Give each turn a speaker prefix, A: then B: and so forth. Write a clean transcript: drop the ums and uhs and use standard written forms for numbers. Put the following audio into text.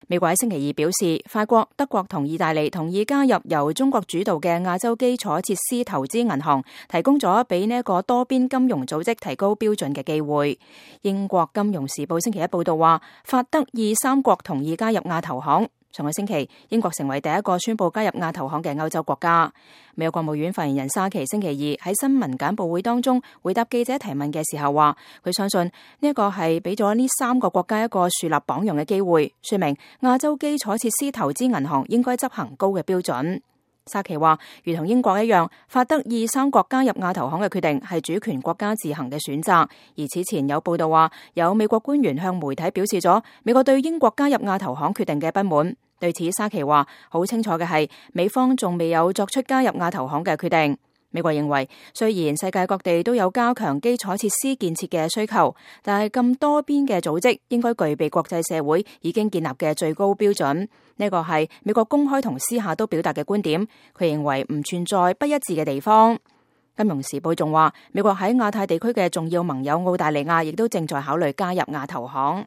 A: 美國喺星期二表示，法國、德國同意大利同意加入由中國主導嘅亞洲基礎設施投資銀行，提供咗俾呢一個多邊金融組織提高標準嘅機會。英國金融時報星期一報道話，法德意三國同意加入亞投行。上個星期，英國成為第一個宣布加入亞投行嘅歐洲國家。美國國務院發言人沙奇星期二喺新聞簡報會當中回答記者提問嘅時候話，佢相信呢一個係俾咗呢3個國家一個樹立榜樣嘅機會，說明亞洲基礎設施投資銀行應該執行高嘅標準。沙奇話，如同英國一樣，法德意三國加入亞投行嘅決定係主權國家自行嘅選擇。而此前有報道話，有美國官員向媒體表示咗美國對英國加入亞投行決定嘅不滿。對此，沙奇話好清楚嘅係，美方仲未有作出加入亞投行嘅決定。美國認為，雖然世界各地都有加強基礎設施建設嘅需求，但係咁多邊嘅組織應該具備國際社會已經建立嘅最高標準。呢個係美國公開同私下都表達嘅觀點。佢認為唔存在不一致嘅地方。金融時報仲話，美國喺亞太地區嘅重要盟友澳大利亞亦都正在考慮加入亞投行。